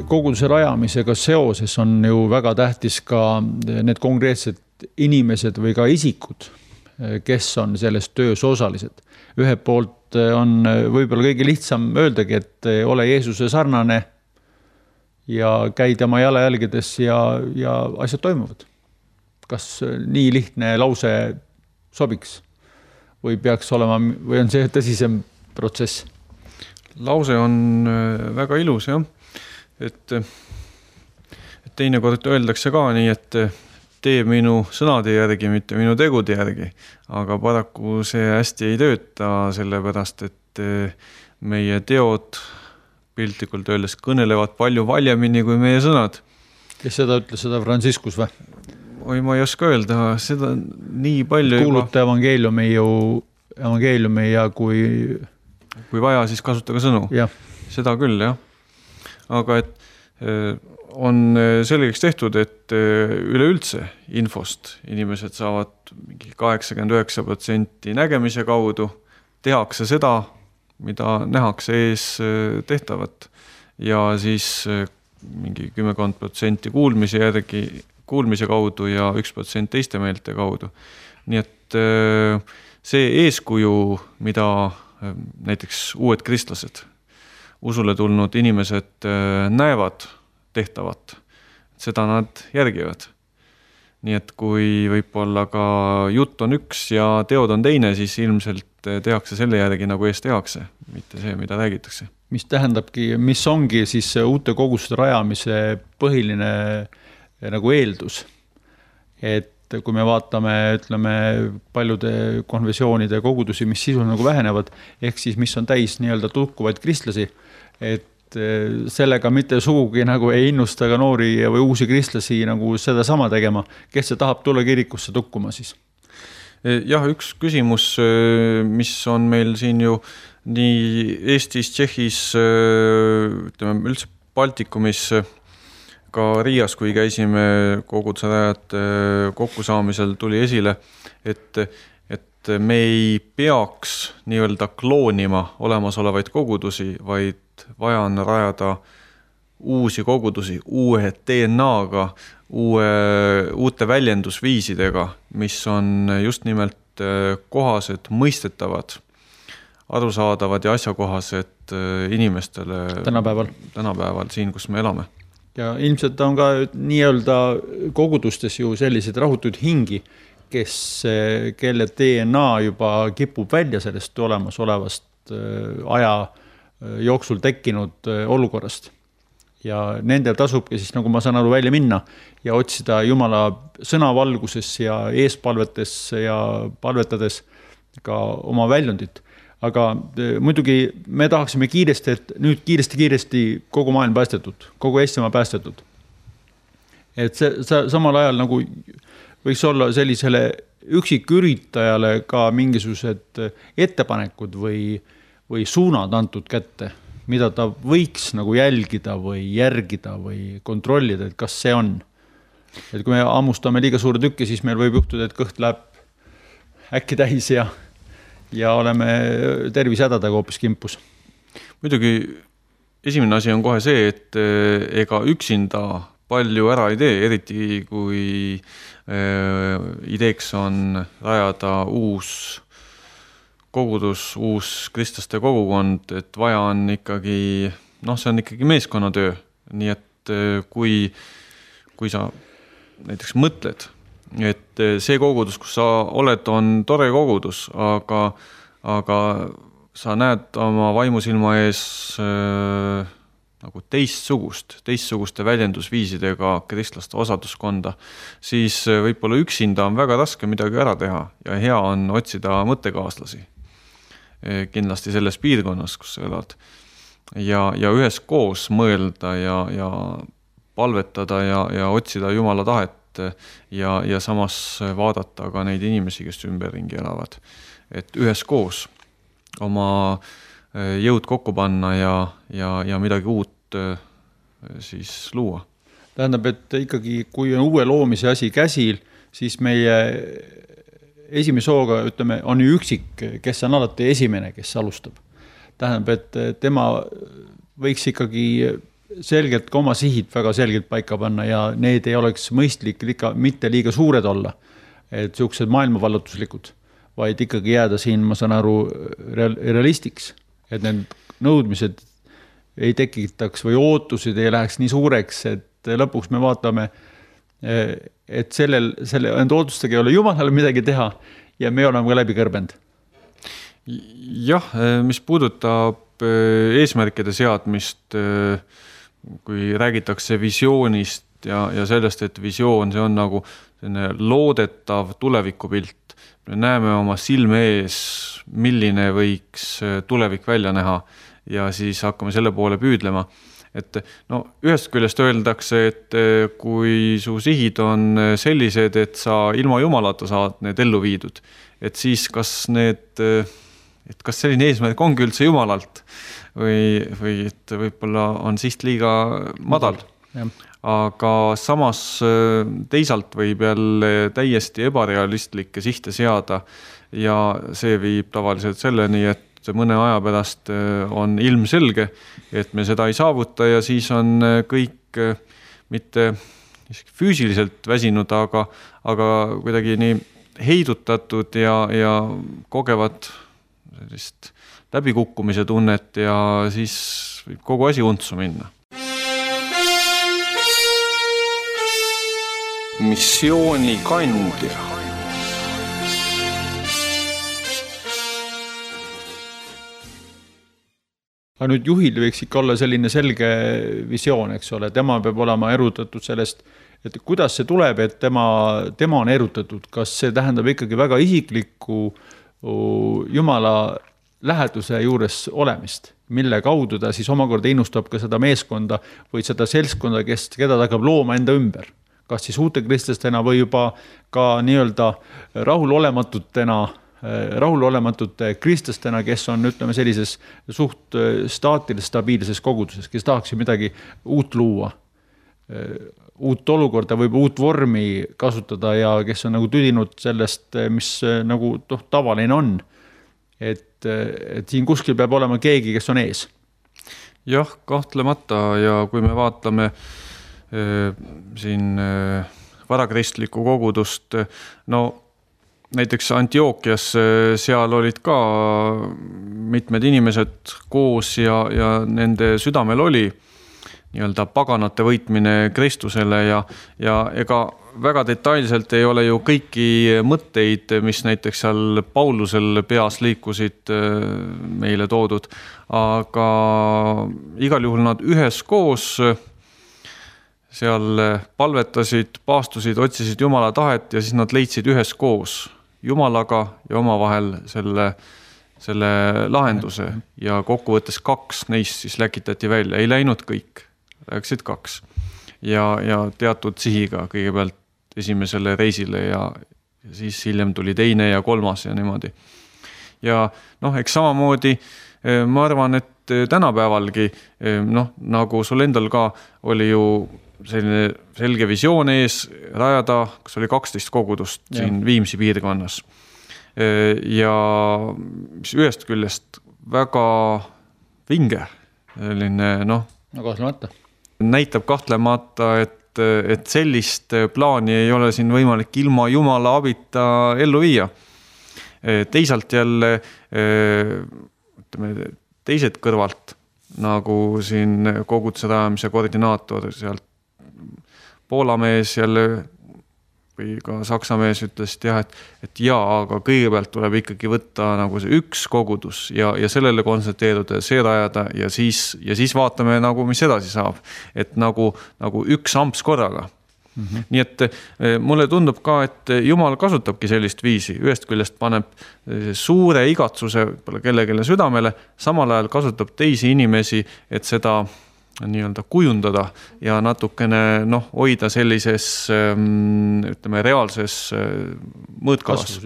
S2: koguduse rajamisega seoses on ju väga tähtis ka need konkreetsed inimesed või ka isikud, kes on selles töös osalised. Ühelt poolt on võib-olla kõige lihtsam öeldagi, et ole Jeesuse sarnane ja käi tema jalajälgedes ja asjad toimuvad. Kas nii lihtne lause sobiks või peaks olema, või on see tõsisem protsess?
S1: lause on väga ilus, jah. Et teinekord öeldakse ka nii, et tee minu sõnade järgi, mitte minu tegude järgi. Aga paraku see hästi ei tööta, sellepärast, et meie teod piltlikult öeldes kõnelevad palju valjemini kui meie sõnad.
S2: Kes seda ütles, seda Franciscus või?
S1: Oi, ma ei oska öelda, seda nii palju
S2: kuuluta evangeeliumi ja kui
S1: vaja, siis kasutage sõnu.
S2: Ja.
S1: Seda küll, jah. Aga et on selgeks tehtud, et üleüldse infost inimesed saavad mingi 89% nägemise kaudu, tehakse seda, mida nähakse ees tehtavat ja siis mingi 10% kuulmise kaudu ja 1% teiste meelte kaudu. Nii et see eeskuju, mida näiteks uued kristlased, usule tulnud inimesed näevad tehtavat, seda nad järgivad. Nii et kui võib-olla ka jutt on üks ja teod on teine, siis ilmselt tehakse selle järgi, nagu ees tehakse, mitte see, mida räägitakse.
S2: Mis tähendabki, mis ongi siis uute koguste rajamise põhiline nagu eeldus. Et kui me vaatame, ütleme, paljude konfessioonide kogudusi, mis sisul nagu vähenevad, ehk siis mis on täis nii-öelda tukkuvaid kristlasi, et sellega mitte sugugi nagu ei innusta ka noori või uusi kristlasi nagu seda sama tegema, kes see tahab tulla kirikusse tukkuma siis?
S1: Jah, üks küsimus, mis on meil siin ju nii Eestis, Tšehhis, ütleme üldse Baltikumis, ka Riias, kui käisime koguduse rajad kokkusaamisel, tuli esile, et me ei peaks nii-öelda kloonima olemasolevaid kogudusi, vaid vaja on rajada uusi kogudusi, uue DNA-ga, uute väljendusviisidega, mis on just nimelt kohased, mõistetavad, arusaadavad ja asjakohased inimestele tänapäeval siin, kus me elame.
S2: Ja ilmselt on ka nii-öelda kogudustes ju sellised rahutud hingi, kelle DNA juba kipub välja sellest olemasolevast aja jooksul tekkinud olukorrast. Ja nendel tasubki siis, nagu ma saan aru, välja minna ja otsida Jumala sõnavalguses ja eespalvetes ja palvetades ka oma väljundit. Aga muidugi me tahaksime kiiresti, et nüüd kiiresti kogu maailm päästetud, kogu Eestimaa päästetud. Et see samal ajal nagu võiks olla sellisele üksiküritajale ka mingisugused ettepanekud või suunad antud kätte, mida ta võiks nagu jälgida või järgida või kontrollida, et kas see on. Et kui me ammustame liiga suure tükki, siis meil võib juhtuda, et kõht läheb äkki täis ja oleme tervisehädadega hoopis kimpus.
S1: Muidugi esimene asi on kohe see, et ega üksinda palju ära ei tee, eriti kui ideeks on rajada uus kogudus, uus kristlaste kogukond, et vaja on ikkagi, see on ikkagi meeskonnatöö. Nii et kui sa näiteks mõtled, et see kogudus, kus sa oled, on tore kogudus, aga sa näed oma vaimusilma ees nagu teistsuguste väljendusviisidega kristlaste osaduskonda, siis võib-olla üksinda on väga raske midagi ära teha ja hea on otsida mõttekaaslasi kindlasti selles piirkonnas, kus sa elad. Ja üheskoos mõelda ja palvetada ja otsida Jumala tahet ja samas vaadata ka neid inimesi, kes ümberringi elavad. Et üheskoos oma jõud kokku panna ja midagi uut siis luua.
S2: Tähendab, et ikkagi kui on uue loomise asi käsil, siis meie esimese hooga, ütleme, on ju üksik, kes on alati esimene, kes alustab. Tähendab, et tema võiks ikkagi selgelt ka oma sihid väga selgelt paika panna ja need ei oleks mõistlik mitte liiga suured olla, et siuksed maailmavallutuslikud, vaid ikkagi jääda siin, ma saan aru, realistiks, et need nõudmised ei tekitaks või ootused ei läheks nii suureks, et lõpuks me vaatame, et enda ootustega ei ole Jumalal midagi teha ja me oleme ka läbi kõrbend.
S1: Jah, mis puudutab eesmärkide seadmist, kui räägitakse visioonist ja sellest, et visioon, see on nagu loodetav tulevikupilt. Me näeme oma silme ees, milline võiks tulevik välja näha ja siis hakkame selle poole püüdlema. Et ühest küljest öeldakse, et kui su sihid on sellised, et sa ilma jumalata saad need ellu viidud, et siis kas selline eesmärk ongi üldse jumalalt või et võib-olla on siht liiga madal. Aga samas teisalt võib jälle täiesti ebarealistlikke sihte seada ja see viib tavaliselt selleni, et mõne aja pärast on ilmselge, et me seda ei saavuta ja siis on kõik mitte füüsiliselt väsinud, aga kuidagi nii heidutatud ja kogevad sellist läbikukkumise tunnet ja siis võib kogu asi untsu minna. Missiooni kandja.
S2: Aga nüüd juhil võiks ikka olla selline selge visioon, eks ole, tema peab olema erutatud sellest, et kuidas see tuleb, et tema on erutatud, kas see tähendab ikkagi väga isiklikku Jumala läheduse juures olemist, mille kaudu ta siis omakorda innustab ka seda meeskonda või seda seltskonda, keda ta hakkab looma enda ümber. Kas siis uute kristlastena või juba ka nii-öelda rahulolematute kristlastena, kes on, ütleme, sellises suht staatilises, stabiilses koguduses, kes tahaks midagi uut luua, uut olukorda või uut vormi kasutada ja kes on nagu tüdinud sellest, mis nagu tavaline on. Et siin kuskil peab olema keegi, kes on ees.
S1: Jah, kahtlemata ja kui me vaatame siin varakristlikku kogudust, näiteks Antiookias seal olid ka mitmed inimesed koos ja nende südamel oli nii-öelda paganate võitmine Kristusele ja ega väga detailselt ei ole ju kõiki mõtteid, mis näiteks seal Paulusel peas liikusid meile toodud, aga igal juhul nad üheskoos seal palvetasid, paastusid, otsisid Jumala tahet ja siis nad leidsid üheskoos Jumalaga ja omavahel selle lahenduse ja kokkuvõttes 2 neist siis läkitati välja, ei läinud kõik, läksid 2 ja teatud sihiga kõigepealt esimesele reisile ja siis hiljem tuli teine ja 3 ja niimoodi. Ja eks samamoodi ma arvan, et tänapäevalgi, nagu sul endal ka oli ju selline selge visioon ees rajada, kas oli 12 kogudust siin Viimsi piirkonnas. Ja ühest küljest väga vinge, selline näitab kahtlemata, et sellist plaani ei ole siin võimalik ilma Jumala abita ellu viia. Teisalt jälle teised kõrvalt, nagu siin koguduse rajamise koordinaator sealt Poola mees jälle või ka Saksa mees ütles, et aga kõigepealt tuleb ikkagi võtta nagu see üks kogudus ja sellele konsulteeruda, see rajada ja siis vaatame nagu, mis edasi saab. Et nagu üks amps korraga. Nii et mulle tundub ka, et Jumal kasutabki sellist viisi. Ühest küljest paneb suure igatsuse kellelegi südamele, samal ajal kasutab teisi inimesi, et seda nii-öelda kujundada ja natukene hoida sellises reaalses mõõtkavas.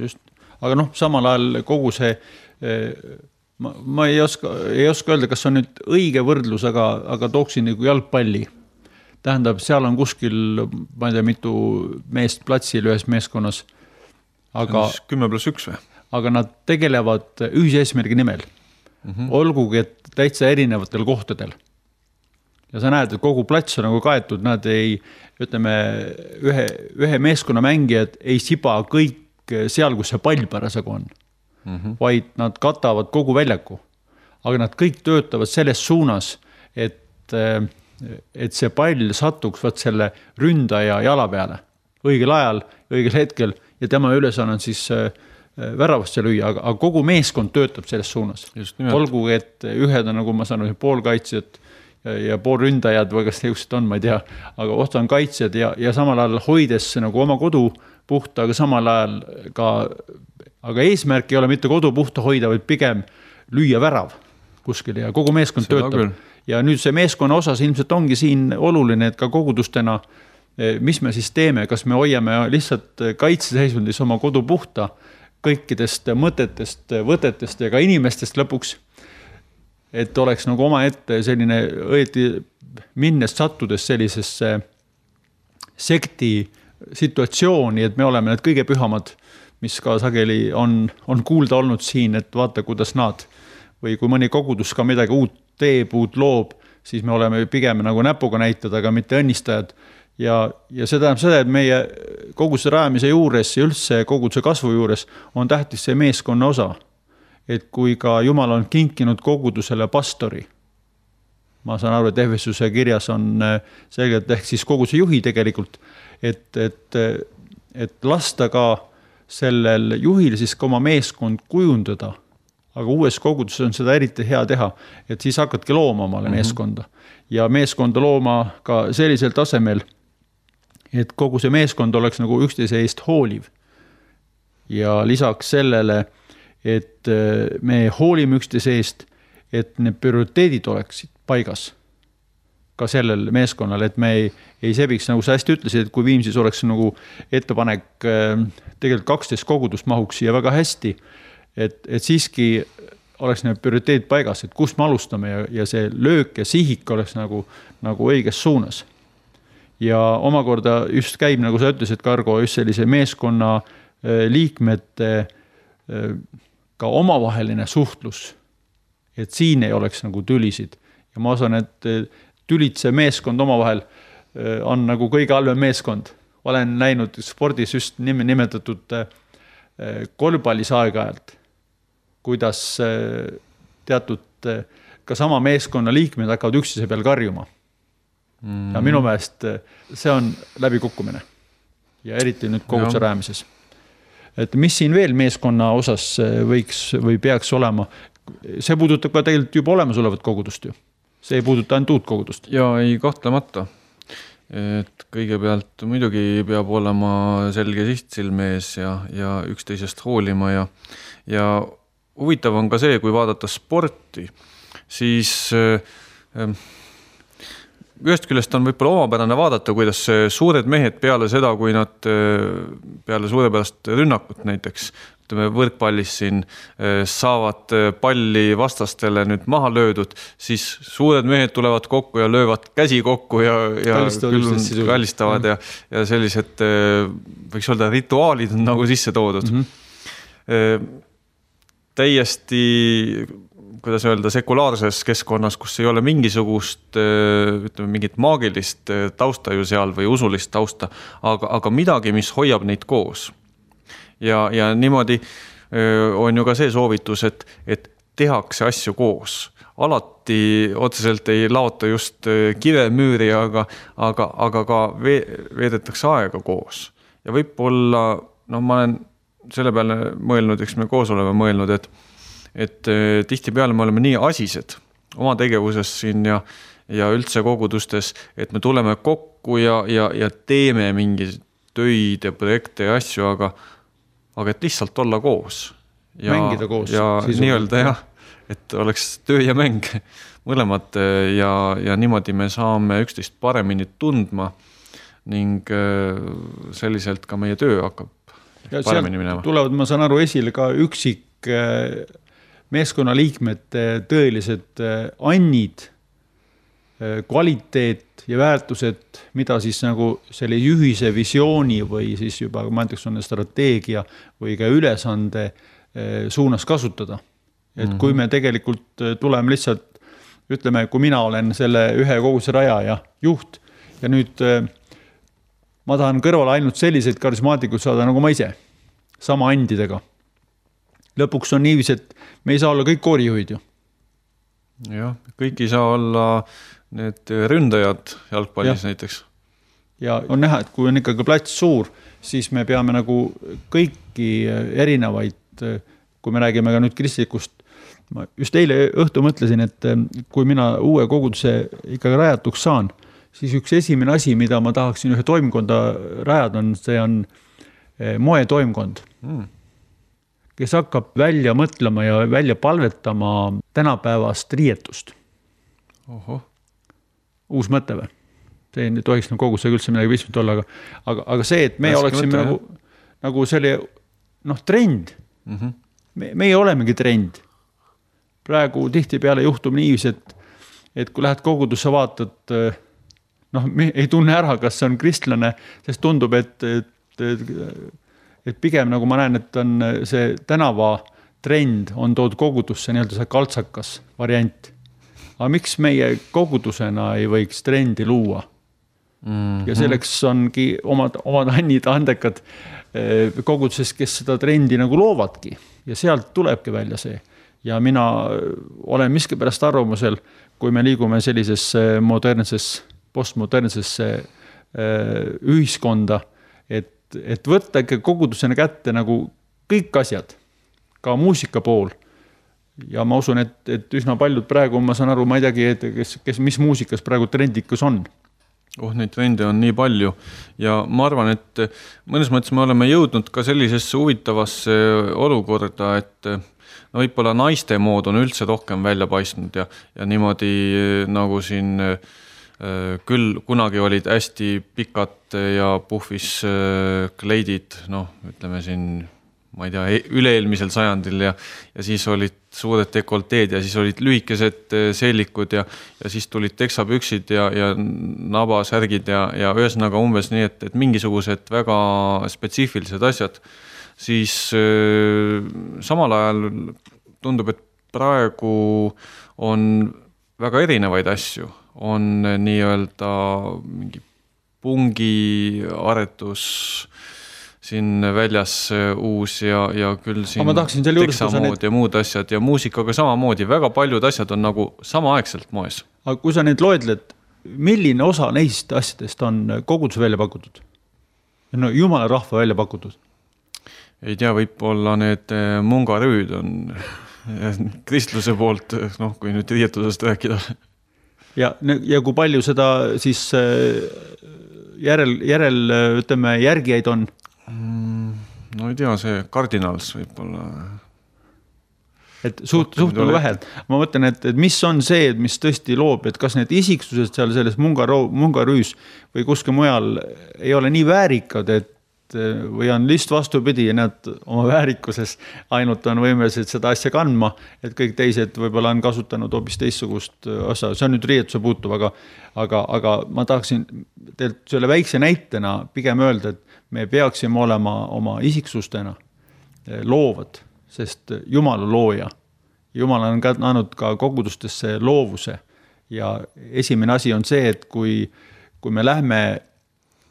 S2: Aga samal ajal kogu see ma ei oska öelda, kas on nüüd õige võrdlus, aga tooksin nagu jalgpalli. Tähendab, seal on kuskil, ma ei tea, mitu meest platsil ühes meeskonnas. Aga
S1: 10+1 või?
S2: Aga nad tegelevad ühise eesmärgi nimel. Olgugi, et täitsa erinevatel kohtadel. Ja sa näed, et kogu plats on nagu kaetud, nad ei, ütleme, ühe meeskonna mängijad ei siba kõik seal, kus see pall parasjagu on, vaid nad katavad kogu väljaku. Aga nad kõik töötavad selles suunas, et see pall satuks selle ründaja jala peale õigel ajal, õigel hetkel ja tema ülesanne on siis väravasse lüüa, aga kogu meeskond töötab selles suunas. Olgu, et ühed on, nagu ma saan, poolkaitsjad ja poolründajad või kas just on, ma ei tea, aga osa on kaitsjad ja samal ajal hoides nagu oma kodu puhta, aga samal ajal ka, aga eesmärk ei ole mitte kodu puhta hoida, vaid pigem lüüa värav kuskil ja kogu meeskond töötab. Ja nüüd see meeskonna osas ilmselt ongi siin oluline, et ka kogudustena, mis me siis teeme, kas me hoiame lihtsalt kaitseseisundis oma kodu puhta kõikidest mõtetest, võtetest ja ka inimestest lõpuks, et oleks nagu oma ette selline õieti minnes sattudes sellisesse sekti situatsiooni, et me oleme need kõige pühamad, mis ka sageli on kuulda olnud siin, et vaata, kuidas nad või kui mõni kogudus ka midagi uut teeb, uut loob, siis me oleme pigem nagu näpuga näitad, aga mitte õnnistajad. Ja see tähendab seda, et meie koguduse rajamise juures ja üldse koguduse kasvu juures on tähtis see meeskonna osa. Et kui ka Jumal on kinkinud kogudusele pastori, ma saan aru, et Efesuse kirjas on selgelt ehk siis koguduse juhi tegelikult, et lasta ka sellel juhil siis ka oma meeskond kujundada, aga uues koguduses on seda eriti hea teha, et siis hakkadki looma omale meeskonda ja meeskonda looma ka sellisel tasemel, et kogu see meeskond oleks nagu üksteise eest hooliv ja lisaks sellele, et me hoolime üksteise eest, et need prioriteedid oleksid paigas ka sellel meeskonnal, et me ei sebiks, nagu sa hästi ütlesid, et kui Viimsis oleks nagu ettepanek, tegelikult 12 kogudust mahuks siia väga hästi, et siiski oleks need prioriteedid paigas, et kust me alustame ja see löök ja sihik oleks nagu õiges suunas. Ja omakorda just käib, nagu sa ütlesid, Kargo, just sellise meeskonna liikmete ka omavaheline suhtlus, et siin ei oleks nagu tülisid. Ja ma osan, et tülitse meeskond omavahel on nagu kõige halvem meeskond. Olen näinud spordis just nimetatud korvpallis aeg-ajalt, kuidas teatud ka sama meeskonna liikmed hakkavad üksteise peal karjuma. Ja minu meelest see on läbikukkumine ja eriti nüüd koguduse rajamises. Et mis siin veel meeskonna osas võiks või peaks olema, see puudutab ka tegelikult juba olemasolevat kogudust ju. See ei puuduta ainult uut kogudust.
S1: Ja ei kahtlemata. Et kõigepealt muidugi peab olema selge siht silmees ja üksteisest hoolima ja huvitav on ka see, kui vaadata sporti, siis ühest küljest on võib-olla omapärane vaadata, kuidas suured mehed peale seda, kui nad peale suurepärast rünnakut näiteks, võrkpallis siin saavad palli vastastele nüüd maha löödud, siis suured mehed tulevad kokku ja löövad käsi kokku ja kallistavad ja sellised, võiks öelda, rituaalid on nagu sisse toodud. Täiesti, kuidas öelda, sekulaarses keskkonnas, kus ei ole mingisugust, ütleme, mingit maagilist tausta ju seal või usulist tausta, aga midagi, mis hoiab neid koos. Ja niimoodi on ju ka see soovitus, et tehakse asju koos. Alati otseselt ei laota just kivemüüri, aga ka veedetakse aega koos. Ja võib-olla, ma olen selle peale mõelnud, eks me koos oleme mõelnud, et tihti peale me oleme nii asised oma tegevuses siin ja üldse kogudustes, et me tuleme kokku ja teeme mingi töid ja projekte ja asju, aga et lihtsalt olla koos.
S2: Mängida koos.
S1: Ja nii-öelda jah, et oleks töö ja mäng mõlemad ja niimoodi me saame üksteist paremini tundma ning selliselt ka meie töö hakkab paremini minema.
S2: Tulevad, ma saan aru, esile ka üksik meeskonna liikmete tõelised annid, kvaliteet ja väärtused, mida siis nagu selle ühise visiooni või siis juba, ma näiteks on strateegia või ka ülesande suunas kasutada. Et kui me tegelikult tuleme lihtsalt, ütleme, kui mina olen selle ühe koguduse rajaja juht ja nüüd ma tahan kõrvale ainult selliseid karismaatikud saada nagu ma ise, sama andidega. Lõpuks on niivis, et me ei saa olla kõik koorijuhid ju.
S1: Jah, kõik ei saa olla need ründajad jalgpallis näiteks.
S2: Ja on näha, et kui on ikkagi plats suur, siis me peame nagu kõiki erinevaid et kui me räägime ka nüüd kristlikust, ma just eile õhtu mõtlesin, et kui mina uue koguduse ikkagi rajatuks saan, siis üks esimene asi, mida ma tahaksin ühe toimkonda rajada, see on moetoimkond, kes hakkab välja mõtlema ja välja palvetama tänapäevast riietust.
S1: Oho.
S2: Uus mõte või? See ei tohiks kogudusega üldse midagi pistmist olla, aga see, et me oleksime nagu selle trend. Meie olemegi trend. Praegu tihtipeale juhtub niivis, et kui lähed kogudusse vaatad, me ei tunne ära, kas see on kristlane, sest tundub, et pigem nagu ma näen, et on see tänava trend on tood kogudusse nii-öelda see kaltsakas variant. Aga miks meie kogudusena ei võiks trendi luua? Ja selleks ongi omad annid andekad koguduses, kes seda trendi nagu loovadki ja sealt tulebki välja see. Ja mina olen miskipärast arvamusel, kui me liigume sellisesse postmodernsesse ühiskonda, et võtta ikka kogudusena kätte nagu kõik asjad, ka muusika pool. Ja ma usun, et üsna paljud praegu, ma saan aru, ma ei teagi, kes mis muusikas praegu trendikus on.
S1: Neid trende on nii palju ja ma arvan, et mõnes mõttes me oleme jõudnud ka sellisesse huvitavasse olukorda, et võib-olla naiste mood on üldse rohkem välja paistnud ja niimoodi nagu siin küll kunagi olid hästi pikad ja puhvis kleidid, ütleme siin, ma ei tea, üle-eelmisel sajandil ja siis olid suured dekolteed ja siis olid lühikesed seelikud ja siis tulid teksapüksid ja nabasärgid ja ühesõnaga umbes nii, et mingisugused väga spetsiifilised asjad, siis samal ajal tundub, et praegu on väga erinevaid asju. On nii-öelda mingi pungi aretus siin väljas uus ja küll siin teksamood ja muud asjad ja muusikaga samamoodi. Väga paljud asjad on nagu samaaegselt moes.
S2: Aga kui sa need loedled, milline osa neist asjadest on koguduse välja pakutud? Jumala rahva välja pakutud?
S1: Ei tea, võib-olla need mungarüüd on kristluse poolt, kui nüüd riietusest rääkida.
S2: Ja kui palju seda siis ütleme, järgijaid on?
S1: No ei tea, see kardinals võib-olla.
S2: Et suht vähe. Ma mõtlen, et mis on see, mis tõesti loob, et kas need isiksused seal selles mungarüüs või kuskil mujal ei ole nii väärikad, või on list vastupidi ja nad oma väärikuses ainult on võimelised seda asja kandma, et kõik teised võib-olla on kasutanud hoopis teistsugust osa. See on nüüd riietuse puutuv, aga ma tahaksin teilt selle väikse näitena pigem öelda, et me peaksime olema oma isiksustena loovad, sest Jumala looja. Jumal on andnud ka kogudustesse loovuse ja esimene asi on see, et kui me lähme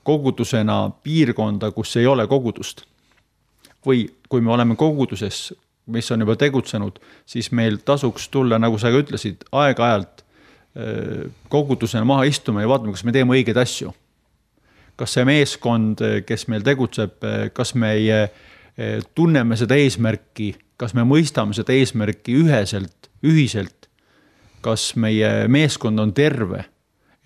S2: kogudusena piirkonda, kus ei ole kogudust. Või kui me oleme koguduses, mis on juba tegutsenud, siis meil tasuks tulla, nagu sa ka ütlesid, aeg-ajalt kogudusena maha istuma ja vaatame, kas me teeme õigeid asju. Kas see meeskond, kes meil tegutseb, kas me tunneme seda eesmärki, kas me mõistame seda eesmärki ühiselt, kas meie meeskond on terve.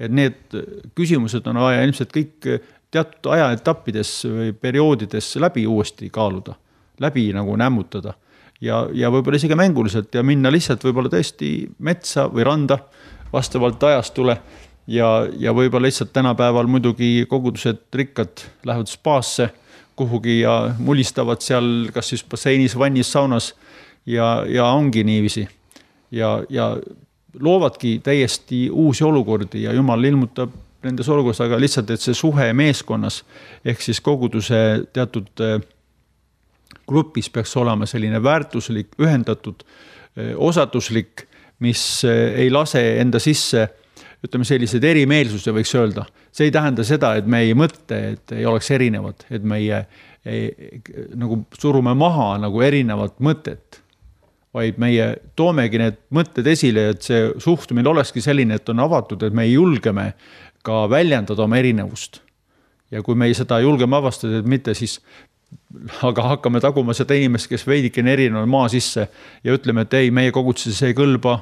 S2: Et need küsimused on vaja ilmselt kõik teatud ajaetappides või perioodides läbi uuesti kaaluda, läbi nagu nämmutada ja võib-olla isegi mänguliselt ja minna lihtsalt võib-olla tõesti metsa või randa vastavalt ajastule ja võib-olla lihtsalt tänapäeval muidugi kogudused rikkad lähevad spaasse kuhugi ja mulistavad seal kas siis basseinis, vannis, saunas ja ongi niiviisi ja loovadki täiesti uusi olukordi ja Jumal ilmutab nendes olukorras, aga lihtsalt, et see suhe meeskonnas ehk siis koguduse teatud grupis peaks olema selline väärtuslik, ühendatud, osatuslik, mis ei lase enda sisse, ütleme sellised erimeelsuse võiks öelda. See ei tähenda seda, et me ei mõtte, et ei oleks erinevad, et meie nagu surume maha nagu erinevat mõtet. Vaid meie toomegi need mõtted esile, et see suhtumine olekski selline, et on avatud, et me julgeme ka väljendada oma erinevust. Ja kui me seda julgeme avastada, et mitte siis aga hakkame taguma seda inimest, kes veidikene erinev maa sisse ja ütleme, et ei, meie koguduses ei kõlba,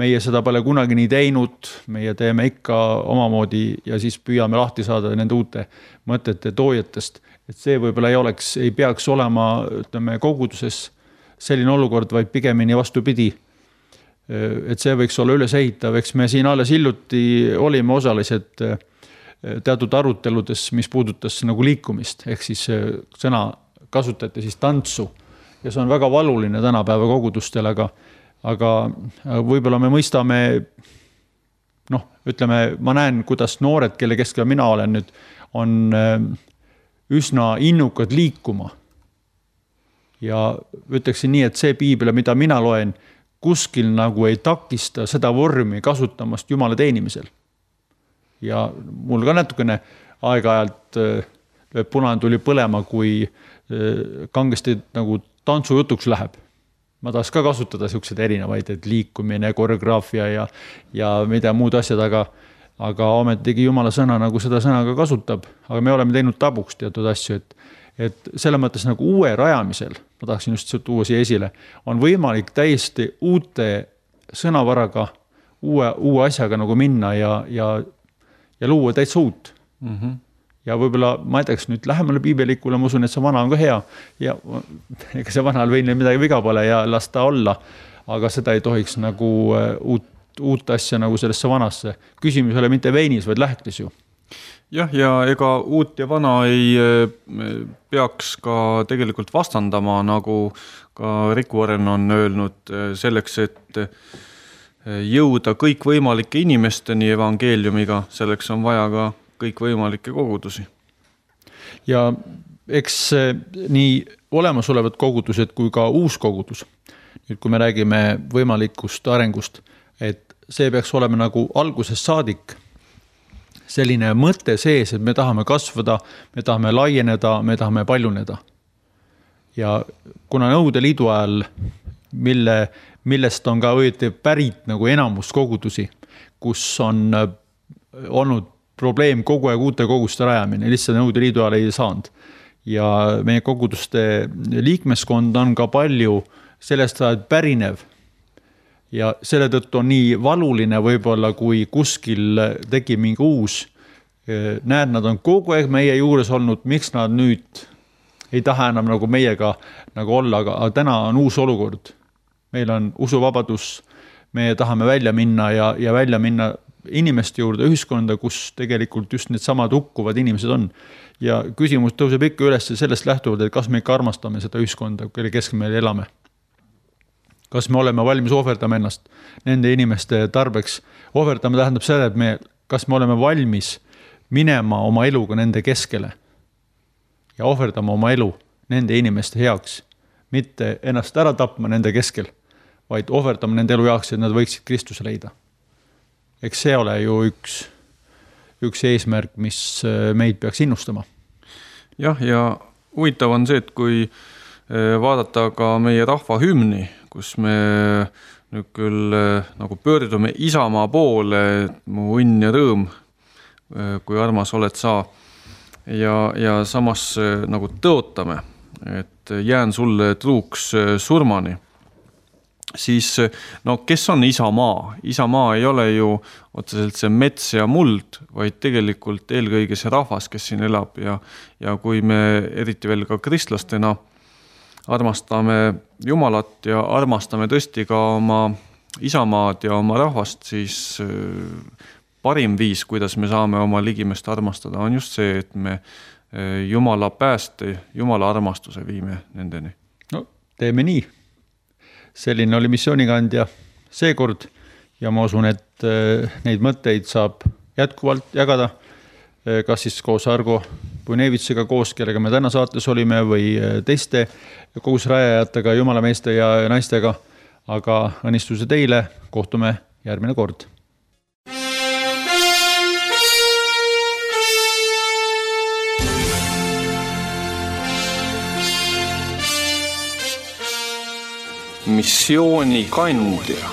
S2: meie seda pole kunagi nii teinud, meie teeme ikka omamoodi ja siis püüame lahti saada nende uute mõtete toojatest. Et see võib-olla ei peaks olema, ütleme, koguduses selline olukord, vaid pigemini vastupidi. Et see võiks olla üles ehitav, eks me siin alles hiljuti olime osalised teatud aruteludes, mis puudutas nagu liikumist, ehk siis sõna kasutati siis tantsu ja see on väga valuline tänapäeva kogudustel, aga võib-olla me mõistame, ütleme, ma näen, kuidas noored, kelle keskel mina olen nüüd, on üsna innukad liikuma. Ja ütleksin nii, et see piibel, mida mina loen, kuskil nagu ei takista seda vormi kasutamast Jumala teenimisel. Ja mul ka natukene aeg-ajalt punane tuli põlema, kui kangesti nagu tantsujutuks läheb. Ma tahaks ka kasutada sellised erinevaid, et liikumine, koreograafia ja mida muud asjad, aga ometigi Jumala sõna nagu seda sõna ka kasutab, aga me oleme teinud tabuks teatud asju, et selle mõttes nagu uue rajamisel, ma tahaksin just tuua siia esile, on võimalik täiesti uute sõnavaraga, uue asjaga nagu minna ja luua täitsa uut. Ja võib-olla ma edeks nüüd lähemale piibelikule, ma usun, et see vana on ka hea ja ega see vanal veinil midagi viga pole ja las ta olla, aga seda ei tohiks nagu uut asja nagu sellesse vanasse. Küsimus ei ole mitte veinis, vaid lähklis ju.
S1: Jah, ja ega uut ja vana ei peaks ka tegelikult vastandama, nagu ka Riku Oren on öelnud, selleks, et jõuda kõik võimalike inimesteni evangeeliumiga, selleks on vaja ka kõik võimalikke kogudusi.
S2: Ja eks nii olemasolevad kogudused kui ka uus kogudus, nüüd kui me räägime võimalikust arengust, et see peaks olema nagu algusest saadik selline mõte sees, et me tahame kasvada, me tahame laieneda, me tahame paljuneda. Ja kuna Nõukogude Liidu ajal, millest on ka õieti pärit nagu enamus kogudusi, kus on olnud probleem kogu aeg uute koguduste rajamine, lihtsalt Nõukogude Liidu ajal ei saanud. Ja meie koguduste liikmeskond on ka palju sellest ajal pärinev. Ja selle tõttu on nii valuline võib-olla, kui kuskil tegi mingi uus. Näed, nad on kogu aeg meie juures olnud, miks nad nüüd ei taha enam nagu meiega nagu olla, aga täna on uus olukord. Meil on usuvabadus, me tahame välja minna ja välja minna inimeste juurde ühiskonda, kus tegelikult just need samad hukkuvad inimesed on. Ja küsimus tõuseb ikka üles sellest lähtuvalt, et kas me ikka armastame seda ühiskonda, kelle keskel me elame. Kas me oleme valmis ohverdama ennast nende inimeste tarbeks. Ohverdama tähendab seda, et kas me oleme valmis minema oma eluga nende keskele ja ohverdama oma elu nende inimeste heaks, mitte ennast ära tapma nende keskel, vaid ohverdama nende elu heaks, et nad võiksid Kristuse leida. Eks see ole ju üks eesmärk, mis meid peaks innustama.
S1: Jah, ja huvitav on see, et kui vaadata ka meie rahva hümni, kus me nüüd küll nagu pöördume Isamaa poole, mu õnn ja rõõm, kui armas oled sa, ja samas nagu tõotame, et jään sulle truuks surmani, siis kes on Isamaa? Isamaa ei ole ju otseselt see mets ja muld, vaid tegelikult eelkõige see rahvas, kes siin elab ja kui me eriti veel ka kristlastena armastame Jumalat ja armastame tõesti ka oma Isamaad ja oma rahvast, siis parim viis, kuidas me saame oma ligimest armastada, on just see, et me Jumala pääste, Jumala armastuse viime nendeni.
S2: No, teeme nii. Selline oli missioonikandja seekord ja ma usun, et neid mõtteid saab jätkuvalt jagada, kas siis koos Argo Punevitsega koos, kellega me täna saates olime või teiste kogusrajajatega, jumalameeste ja naistega, aga õnnistuse teile, kohtume järgmine kord.
S1: Missioonikandja.